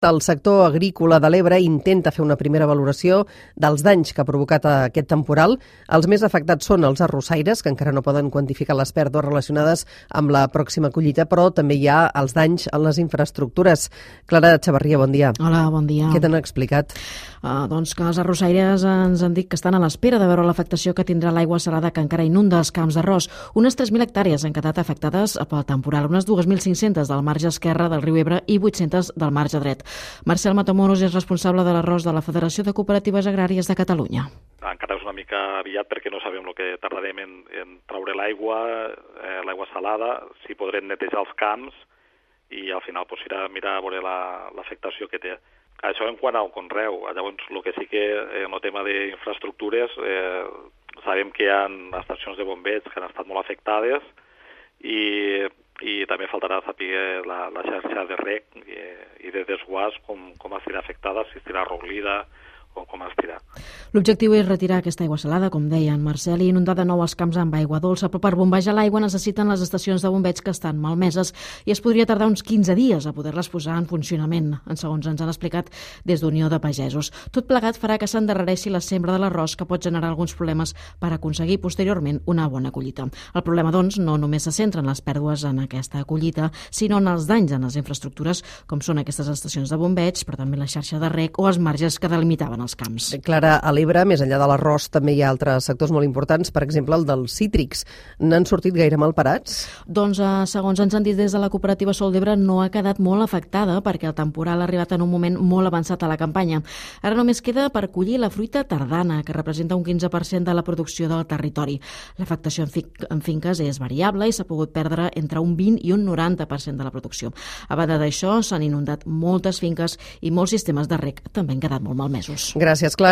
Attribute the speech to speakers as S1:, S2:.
S1: El sector agrícola de l'Ebre intenta fer una primera valoració dels danys que ha provocat aquest temporal. Els més afectats són els arrossaires, que encara no poden quantificar les pèrdues relacionades amb la pròxima collita, però també hi ha els danys en les infraestructures. Clara Xavarria, bon dia.
S2: Hola, bon dia.
S1: Què t'han explicat?
S2: Doncs que els arrossaires ens han dit que estan a l'espera de veure l'afectació que tindrà l'aigua salada que encara inunda els camps d'arròs. Unes 3.000 hectàrees han quedat afectades pel temporal, unes 2.500 del marge esquerre del riu Ebre i 800 del marge dret. Marcel Matamoros és responsable de l'arròs de la Federació de Cooperatives Agràries de Catalunya.
S3: Encara és una mica aviat perquè no sabem el que tardarem en traure l'aigua salada, si podrem netejar els camps i al final serà mirar a veure l'afectació que té. Això en quant al conreu. Llavors, el que sí que en el tema d'infraestructures sabem que hi ha estacions de bombeig que han estat molt afectades i també faltarà saber la xarxa de rec i de desguàs com estarà afectada, si estarà arroglida o com estarà.
S2: L'objectiu és retirar aquesta aigua salada, com deia en Marcel, i inundar de nou els camps amb aigua dolça, però per bombejar l'aigua necessiten les estacions de bombeig que estan malmeses i es podria tardar uns 15 dies a poder-les posar en funcionament, segons ens han explicat des d'Unió de Pagesos. Tot plegat farà que s'endarrereixi la sembra de l'arròs, que pot generar alguns problemes per aconseguir posteriorment una bona collita. El problema, doncs, no només se centra en les pèrdues en aquesta collita, sinó en els danys en les infraestructures, com són aquestes estacions de bombeig, però també la xarxa de rec o els marges que delimitaven els camps.
S1: Clara, a l'Ebre, més enllà de l'arròs, també hi ha altres sectors molt importants, per exemple el dels cítrics. N'han sortit gaire mal parats?
S2: Doncs, segons ens han dit des de la cooperativa Sol d'Ebre, no ha quedat molt afectada perquè el temporal ha arribat en un moment molt avançat a la campanya. Ara només queda per collir la fruita tardana, que representa un 15% de la producció del territori. L'afectació en finques és variable i s'ha pogut perdre entre un 20 i un 90% de la producció. A banda d'això, s'han inundat moltes finques i molts sistemes de rec també han quedat molt malmesos.
S1: Gràcies, Clara.